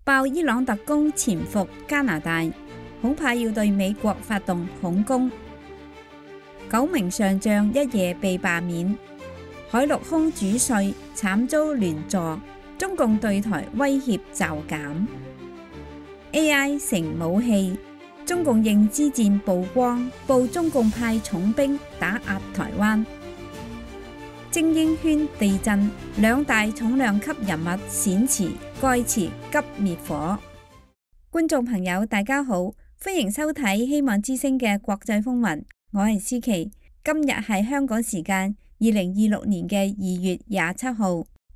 爆伊朗特工潛伏加拿大，恐怕要對美國發動恐攻。9名上將一夜被罷免，海陸空主帥慘遭連坐，中共對台威脅驟減。AI 成武器，中共認知戰曝光，報中共派重兵打壓台灣。精英圈地震，兩大重量級人物閃辭，蓋茨急滅火。觀眾朋友大家好，歡迎收睇希望之聲嘅國際風雲，我係思琪。今日係香港時間2026年嘅2月27號，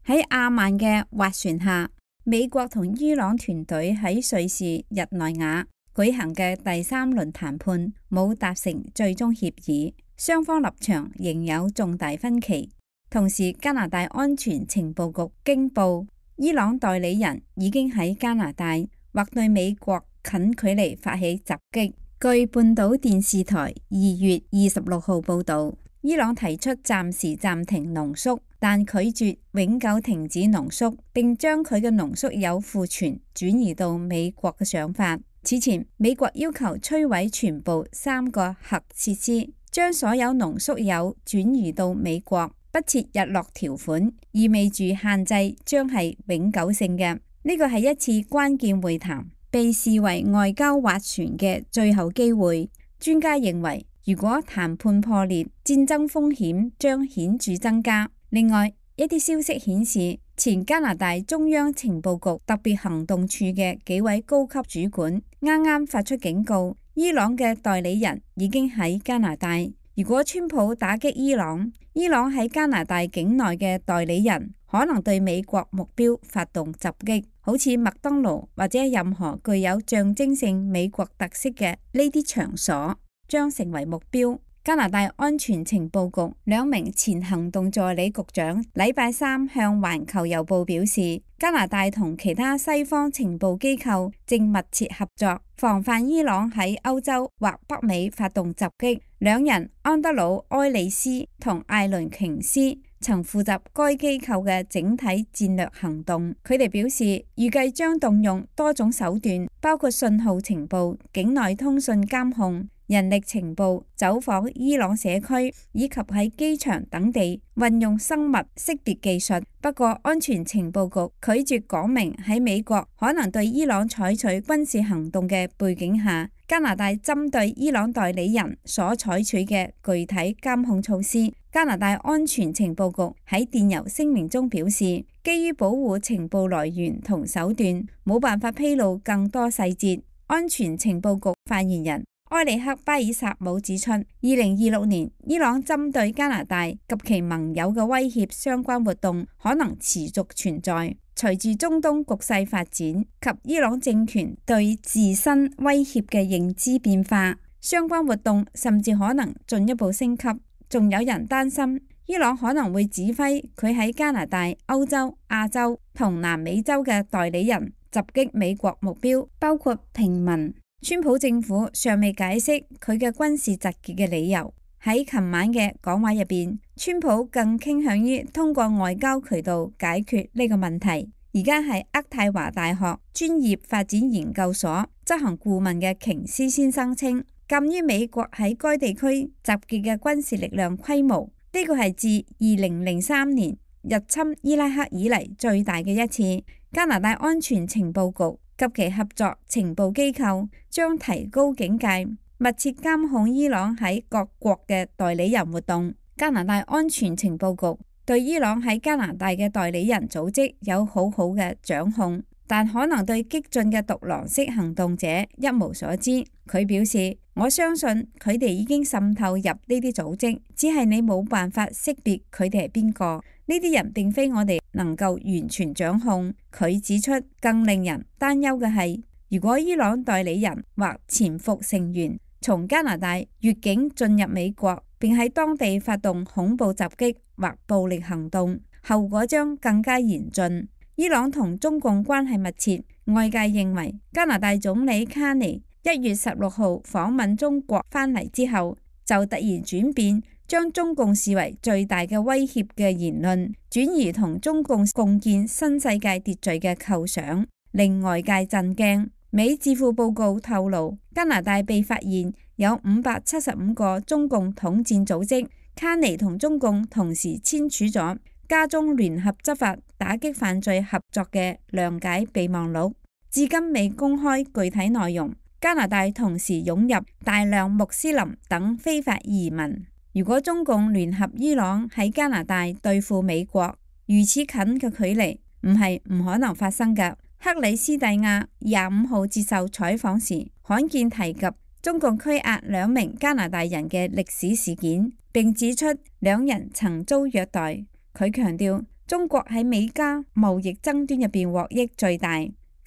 喺阿曼嘅斡旋下，美國同伊朗團隊喺瑞士日內瓦舉行嘅第3輪談判冇達成最終協議，雙方立場仍有重大分歧。同時，加拿大安全情報局驚報，伊朗代理人已經喺加拿大或對美國近距離發起襲擊。據半島電視台2月26號報導，伊朗提出暫時暫停濃縮，但拒絕永久停止濃縮，並將佢嘅濃縮鈾庫存轉移到美國嘅想法。此前，美國要求摧毀全部3個核設施，將所有濃縮鈾轉移到美國。不設日落條款，意味住限制將係永久性嘅。呢個係一次關鍵會談，被視為外交斡旋嘅最後機會。專家認為，如果談判破裂，戰爭風險將顯著增加。另外，一啲消息顯示，前加拿大中央情報局特別行動處嘅幾位高級主管啱啱發出警告，伊朗嘅代理人已經喺加拿大。如果川普打擊伊朗，伊朗喺加拿大境內嘅代理人可能對美國目標發動襲擊，好似麥當勞或者任何具有象徵性美國特色嘅呢啲場所將成為目標。加拿大安全情報局2名前行動助理局長禮拜3向環球郵報表示，加拿大同其他西方情報機構正密切合作，防範伊朗喺歐洲或北美發動襲擊。2人安德魯·埃里斯同艾倫·瓊斯曾負責該機構嘅整體戰略行動。佢哋表示，預計將動用多種手段，包括信號情報、境內通訊監控、人力情報、走訪伊朗社區以及喺機場等地運用生物識別技術。不過，安全情報局拒絕講明喺美國可能對伊朗採取軍事行動嘅背景下，加拿大針對伊朗代理人所採取嘅具體監控措施。加拿大安全情報局喺電郵聲明中表示，基於保護情報來源同手段，冇辦法披露更多細節。安全情報局發言人埃里克·巴爾薩姆指出，2026年伊朗針對加拿大及其盟友嘅威脅相關活動可能持續存在。隨住中東局勢發展及伊朗政權對自身威脅嘅認知變化，相關活動甚至可能進一步升級。仲有人擔心伊朗可能會指揮佢喺加拿大、歐洲、亞洲同南美洲嘅代理人襲擊美國目標，包括平民。川普政府尚未解釋佢嘅軍事集結嘅理由。喺琴晚嘅講話入邊，川普更傾向於通過外交渠道解決呢個問題。而家係渥太華大學專業發展研究所執行顧問嘅瓊斯先生稱，鑑於美國喺該地區集結嘅軍事力量規模，呢個係自2003年入侵伊拉克以嚟最大嘅一次。加拿大安全情報局及其合作情報機構將提高警戒，密切監控伊朗喺各國嘅代理人活動。加拿大安全情報局對伊朗喺加拿大嘅代理人組織有好好嘅掌控，但可能對激進嘅獨狼式行動者一無所知。佢表示，我相信佢哋已經滲透入呢啲組織，只係你冇辦法識別佢哋係邊個。呢啲人並非我哋能夠完全掌控。佢指出，更令人擔憂嘅係，如果伊朗代理人或潛伏成員從加拿大越境進入美國，並喺當地發動恐怖襲擊或暴力行動，後果將更加嚴峻。伊朗同中共關係密切，外界認為加拿大總理卡尼1月16號訪問中國返嚟之後，就突然轉變，將中共視為最大嘅威脅嘅言論轉移同中共共建新世界秩序嘅構想。令外界震驚。美智庫報告透露，加拿大被發現有575個中共統戰組織，卡尼同中共同時簽署咗加中聯合執法打擊犯罪合作嘅諒解備忘錄，至今未公開具體內容。加拿大同時湧入大量穆斯林等非法移民。如果中共聯合伊朗喺加拿大對付美國，如此近嘅距離唔係唔可能發生嘅。克里斯蒂亞25號接受採訪時，罕見提及中共拘押2名加拿大人嘅歷史事件，並指出2人曾遭虐待。佢強調中國喺美加貿易爭端入邊獲益最大，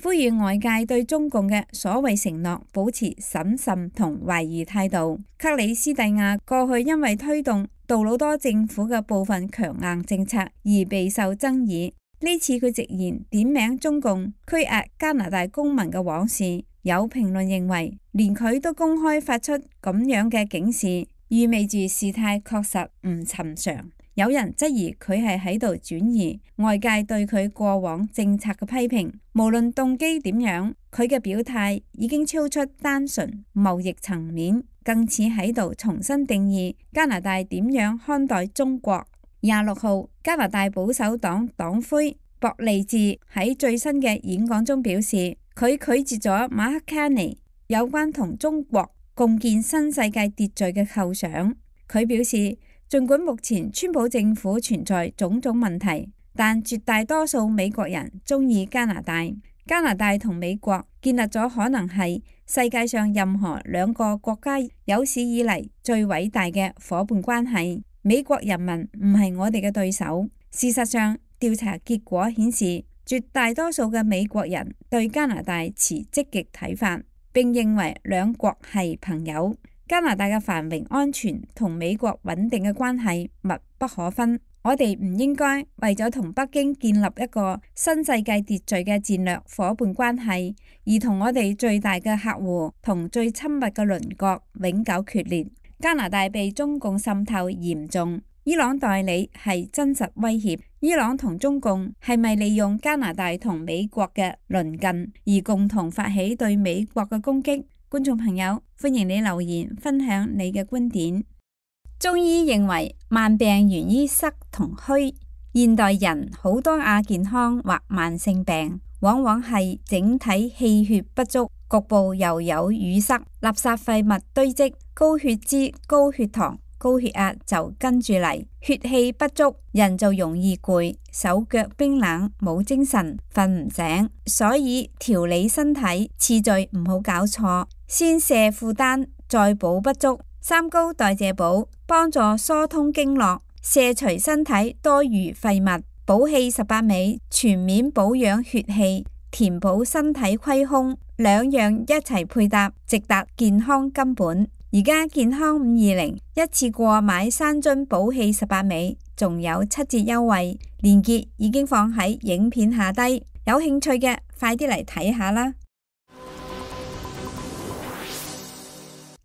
呼籲外界對中共嘅所謂承諾保持審慎同懷疑態度。克里斯蒂亞過去因為推動杜魯多政府嘅部分強硬政策而備受爭議。呢次佢直言點名中共拘押加拿大公民嘅往事，有評論認為連佢都公開發出咁樣嘅警示，意味住事態確實唔尋常。有人質疑佢係喺度轉移外界對佢過往政策嘅批評，無論動機點樣，佢嘅表態已經超出單純貿易層面，更似喺度重新定義加拿大點樣看待中國。26號，加拿大保守黨黨魁博利治喺最新嘅演講中表示，佢拒絕咗馬克卡尼有關同中國共建新世界秩序嘅構想。佢表示，儘管目前川普政府存在種種問題，但絕大多數美國人鍾意加拿大。加拿大同美國建立咗可能係世界上任何2個國家有史以嚟最偉大嘅夥伴關係。美國人民唔係我哋嘅對手。事實上，調查結果顯示，絕大多數嘅美國人對加拿大持積極睇法，並認為兩國係朋友。加拿大嘅繁榮安全同美國穩定嘅關係密不可分。我哋唔應該為咗同北京建立一個新世界秩序嘅戰略夥伴關係，而同我哋最大嘅客戶同最親密嘅鄰國永久決裂。加拿大被中共滲透嚴重，伊朗代理係真實威脅。伊朗同中共係咪利用加拿大同美國嘅鄰近而共同發起對美國嘅攻擊？觀眾朋友，歡迎你留言分享你嘅觀點。中醫認為慢病源於濕同虛，現代人好多亞健康或慢性病，往往係整體氣血不足，局部又有淤塞，垃圾廢物堆積，高血脂、高血糖、高血壓就跟住嚟，血氣不足，人就容易攰，手腳冰冷，冇精神，瞓唔醒。所以調理身體次序唔好搞錯，先瀉負擔，再補不足。三高代謝補幫助疏通經絡，瀉除身體多餘廢物。補氣18味全面保養血氣，填補身體虧空，兩樣一齊配搭，直達健康根本。而家健康520一次過買3樽補氣18味，仲有7折優惠，鏈接已經放喺影片下低，有興趣嘅快啲嚟睇下啦。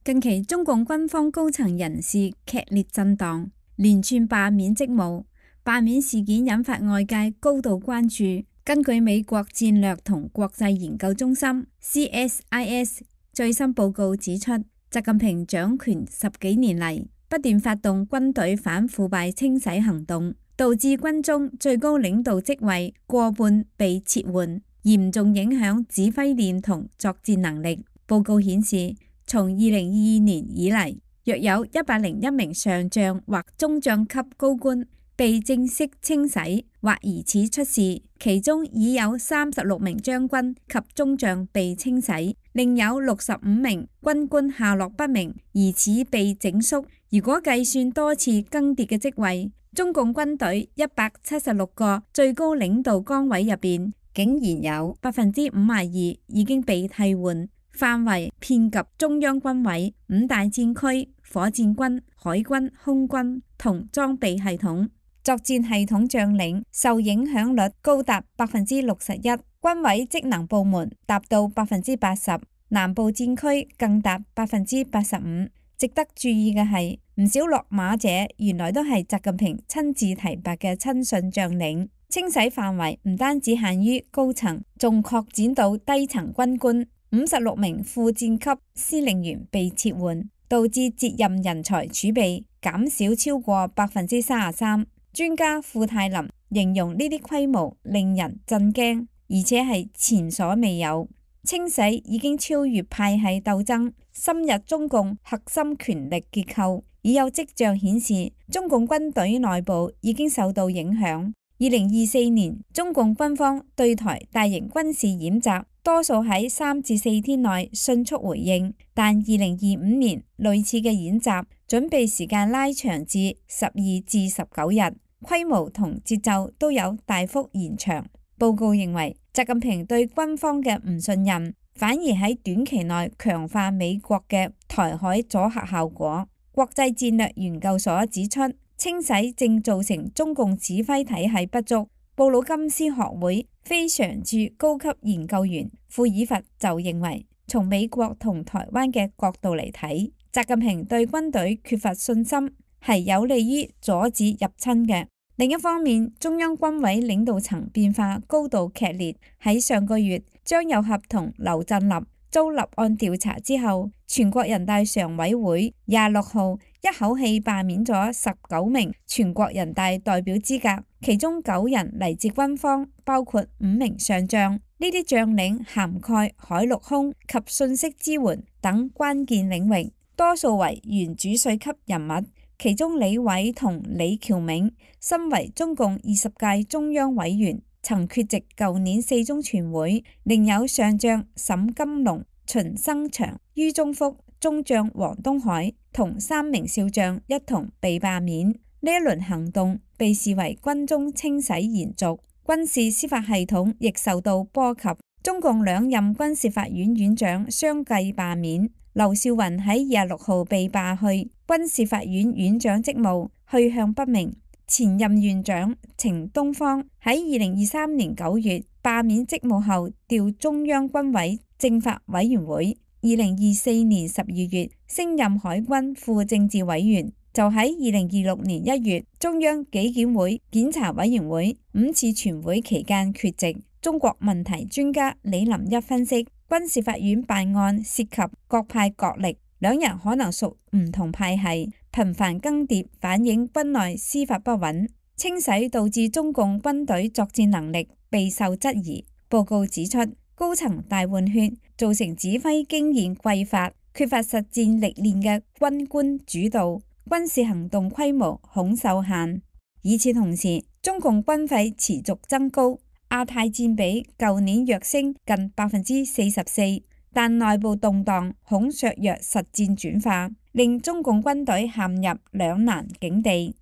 近期中共軍方高層人士劇烈震盪，連串罷免職務，罷免事件引發外界高度關注。根據美國戰略同國際研究中心 CSIS 最新報告指出，習近平掌權10幾年嚟，不斷發動軍隊反腐敗清洗行動，導致軍中最高領導職位過半被撤換，嚴重影響指揮鏈同作戰能力。報告顯示，從2022年以嚟，約有101名上將或中將級高官被正式清洗或疑似出事，其中已有36名將軍及中將被清洗，另有65名軍官下落不明，疑似被整肅。如果計算多次更迭嘅職位，中共軍隊176個最高領導崗位入邊，竟然有52%已經被替換。範圍遍及中央軍委、5大戰區、火箭軍、海軍、空軍同裝備系統。作戰系統將領受影響率高達61%，軍委職能部門達到80%，南部戰區更達85%。值得注意嘅係，唔少落馬者原來都係習近平親自提拔嘅親信將領。清洗範圍唔單止限於高層，仲擴展到低層軍官。56名副戰級司令員被撤換，導致接任人才儲備減少超過33%。專家庫泰林形容呢啲規模令人震驚，而且係前所未有。清洗已經超越派系鬥爭，深入中共核心權力結構，已有跡象顯示中共軍隊內部已經受到影響。2024年，中共軍方對台大型軍事演習，多數喺3至4天內迅速回應，但2025年類似嘅演習準備時間拉長至12至19日，規模同節奏都有大幅延長。報告認為，習近平對軍方嘅唔信任，反而喺短期內強化美國嘅台海阻嚇效果。國際戰略研究所指出，清洗正造成中共指揮體系不足。布魯金斯學會非常駐高級研究員庫爾佛就認為，從美國同台灣嘅角度嚟睇，習近平對軍隊缺乏信心，係有利於阻止入侵嘅。另一方面，中央軍委領導層變化高度劇烈。喺上個月，張又俠同劉振立遭立案調查之後，全國人大常委會26號一口氣罷免咗19名全國人大代表資格，其中9人嚟自軍方，包括5名上將。呢啲將領涵蓋海陸空及信息支援等關鍵領域，多數為原主帥級人物。其中李偉同李翹銘身為中共20屆中央委員，曾缺席舊年4中全會，另有上將沈金龍、秦生祥、于宗福、中將黃東海同3名少將一同被罷免。呢一輪行動被視為軍中清洗延續，軍事司法系統亦受到波及。中共2任軍事法院院長相繼罷免。劉少雲喺26號被罷去軍事法院院長職務，去向不明。前任院長程東方喺2023年9月罷免職務後調中央軍委政法委員會，2024年12月升任海軍副政治委員，就喺2026年1月中央紀檢會檢查委員會5次全會期間缺席。中國問題專家李林一分析，軍事法院辦案涉及各派角力，2人可能屬唔同派系，頻繁更迭反映軍內司法不穩，清洗導致中共軍隊作戰能力備受質疑。報告指出，高層大換血造成指揮經驗匱乏，缺乏實戰歷練嘅軍官主導，軍事行動規模恐受限。與此同時，中共軍費持續增高。亞太佔比舊年躍升近44%，但內部動盪恐削弱實戰轉化，令中共軍隊陷入兩難境地。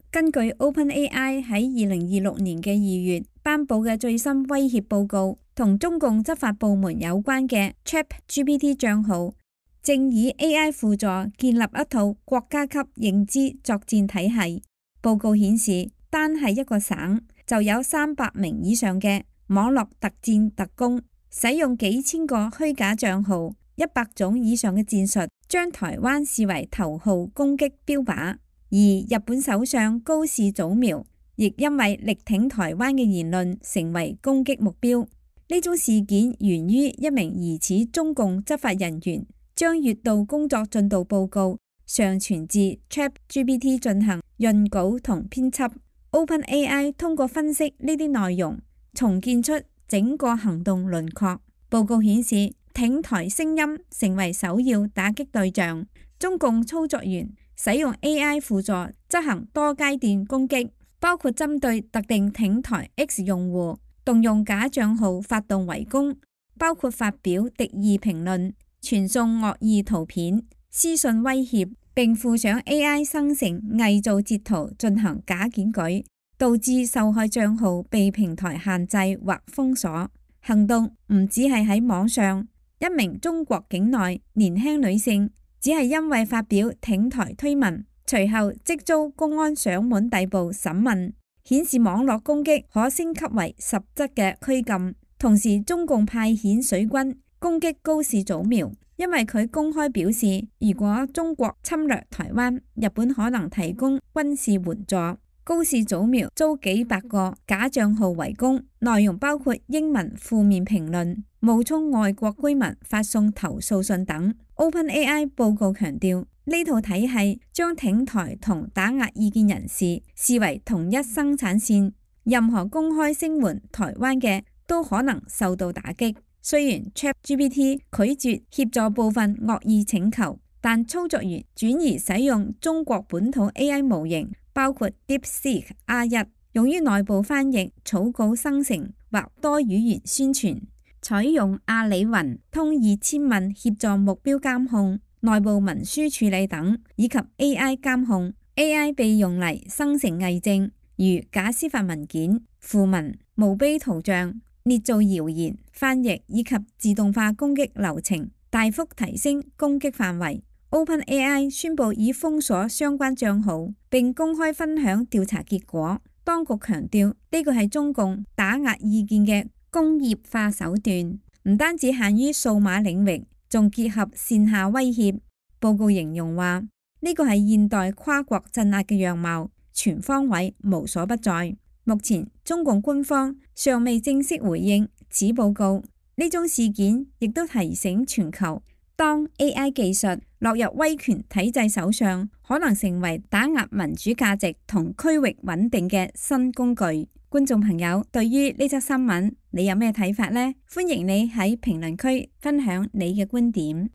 根據 OpenAI 喺2026年嘅2月頒布嘅最新威脅報告，同中共執法部門有關嘅 ChatGPT 帳號，正以 AI 輔助建立一套國家級認知作戰體系。報告顯示，單係一個省就有300名以上嘅網絡特戰特工，使用幾千個虛假帳號，100種以上嘅戰術，將台灣視為頭號攻擊標靶。而日本首相高市早苗亦因為力挺台灣嘅言論成為攻擊目標。呢種事件源於一名疑似中共執法人員將月度工作進度報告上傳至 ChatGPT 進行潤稿同編輯。OpenAI 通過分析呢啲內容，重建出整個行動輪廓。報告顯示，挺台聲音成為首要打擊對象。中共操作員使用 AI 輔助執行多階段攻擊，包括針對特定挺台 X 用戶，動用假帳號發動圍攻，包括發表敵意評論、傳送惡意圖片、私信威脅，並附上 AI 生成偽造截圖進行假檢舉，導致受害帳號被平台限制或封鎖。行動唔只係喺網上，一名中國境內年輕女性只係因為發表挺台推文，隨後即遭公安上門逮捕審問，顯示網絡攻擊可升級為實質嘅拘禁。同時，中共派遣水軍攻擊高市早苗，因為佢公開表示，如果中國侵略台灣，日本可能提供軍事援助。高市早苗遭幾百個假賬號圍攻，內容包括英文負面評論、冒充外國居民發送投訴信等。OpenAI 報告強調，呢套體系將挺台同打壓意見人士視為同一生產線，任何公開聲援台灣嘅都可能受到打擊。雖然 ChatGPT 拒絕協助部分惡意請求，但操作員轉移使用中國本土 AI 模型，包括 DeepSeek R1，用於內部翻譯、草稿生成或多語言宣傳，採用阿里雲通2000問協助目標監控、內部文書處理等，以及 AI 監控。AI 被用嚟生成偽證，如假司法文件、訃文、墓碑圖像、捏造謠言、翻譯以及自動化攻擊流程，大幅提升攻擊範圍。OpenAI 宣布已封鎖相關帳號，並公開分享調查結果。當局強調呢個係中共打壓意見嘅工業化手段，唔單止限於數碼領域，仲結合線下威脅。報告形容話，呢個係現代跨國鎮壓嘅樣貌，全方位無所不在。目前中共官方尚未正式回應此報告。呢宗事件亦都提醒全球，當 AI 技術落入威權體制手上，可能成為打壓民主價值同區域穩定嘅新工具。觀眾朋友，對於呢則新聞，你有咩睇法呢？歡迎你喺評論區分享你嘅觀點。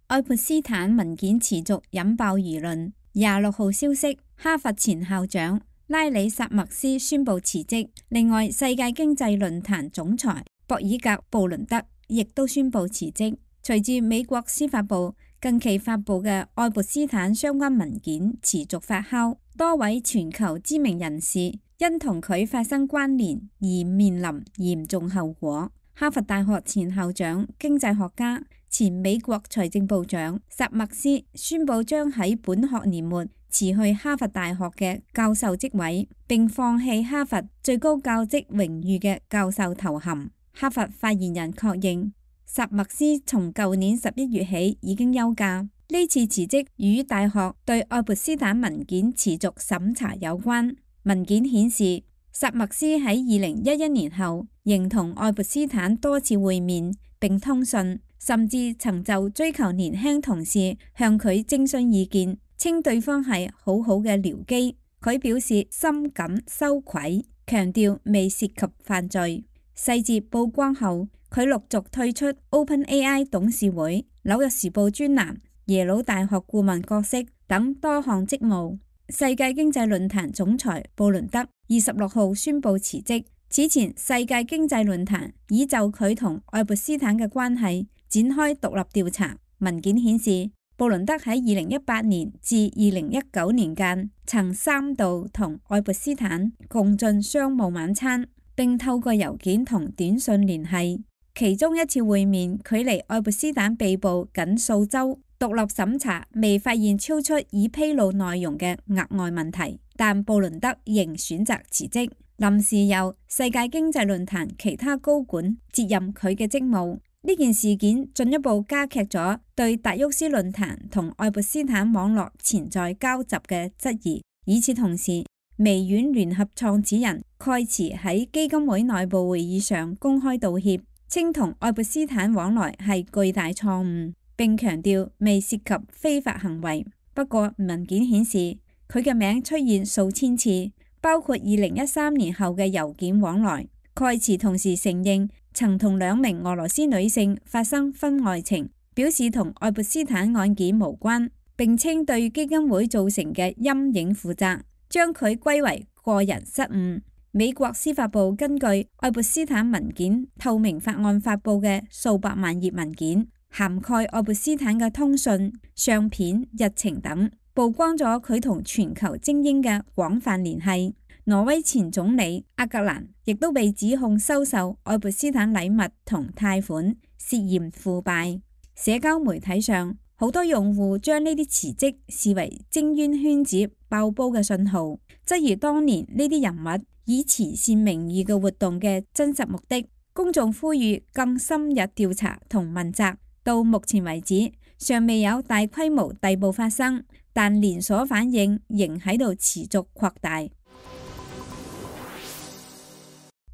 愛潑斯坦文件持續引爆輿論。26號消息，哈佛前校長拉里薩默斯宣布辭職。另外，世界經濟論壇總裁博爾格布倫德亦都宣布辭職。隨住美國司法部近期發布嘅愛潑斯坦相關文件持續發酵，多位全球知名人士因同佢發生關聯而面臨嚴重後果。哈佛大學前校長、經濟學家、前美國財政部長薩默斯宣布將喺本學年末辭去哈佛大學嘅教授職位，並放棄哈佛最高教職榮譽嘅教授頭銜。哈佛發言人確認，薩默斯從舊年11月起已經休假。呢次辭職與大學對愛潑斯坦文件持續審查有關。文件顯示，薩默斯喺2011年後仍同愛潑斯坦多次會面並通訊，甚至曾就追求年輕同事向佢徵詢意見，稱對方係好好嘅僚機。佢表示深感羞愧，強調未涉及犯罪。細節曝光後，佢陸續退出 OpenAI 董事會、紐約時報專欄、耶魯大學顧問角色等多項職務。世界經濟論壇總裁布倫德26號宣布辭職。此前，世界經濟論壇已就佢同愛潑斯坦嘅關係展開獨立調查。文件顯示，布倫德喺2018年至2019年間曾3度同愛潑斯坦共進商務晚餐，並透過郵件同短信聯繫。其中一次會面距離愛潑斯坦被捕僅數週，獨立審查未發現超出已披露內容嘅額外問題，但布倫德仍選擇辭職，臨時由世界經濟論壇其他高管接任佢嘅職務。呢件事件進一步加劇咗對達沃斯論壇同愛潑斯坦網絡潛在交集嘅質疑。與此同時，微軟聯合創始人蓋茨喺基金會內部會議上公開道歉，稱同愛潑斯坦往來係巨大錯誤，並強調未涉及非法行為。不過文件顯示佢嘅名出現數千次，包括2013年後嘅郵件往來。蓋茨同時承認曾同2名俄羅斯女性發生婚外情，表示同愛潑斯坦案件無關，並稱對基金會造成嘅陰影負責，將佢歸為個人失誤。美國司法部根據愛潑斯坦文件透明法案發布嘅數百萬頁文件，涵蓋愛潑斯坦嘅通訊、相片、日程等，曝光咗佢同全球精英嘅廣泛聯繫。挪威前總理阿格蘭亦都被指控收受愛潑斯坦禮物同貸款，涉嫌腐敗。社交媒體上，好多用戶將呢啲辭職視為精英圈子爆煲嘅信號，質疑當年呢啲人物以慈善名義嘅活動嘅真實目的。公眾呼籲更深入調查同問責。到目前為止，尚未有大規模逮捕發生，但連鎖反應仍喺度持續擴大。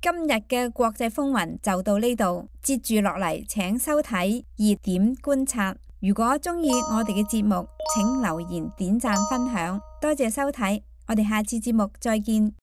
今日嘅國際風雲就到呢度，接住落嚟請收睇熱點觀察。如果鍾意我哋嘅節目，請留言、點讚、分享，多謝收睇，我哋下次節目再見。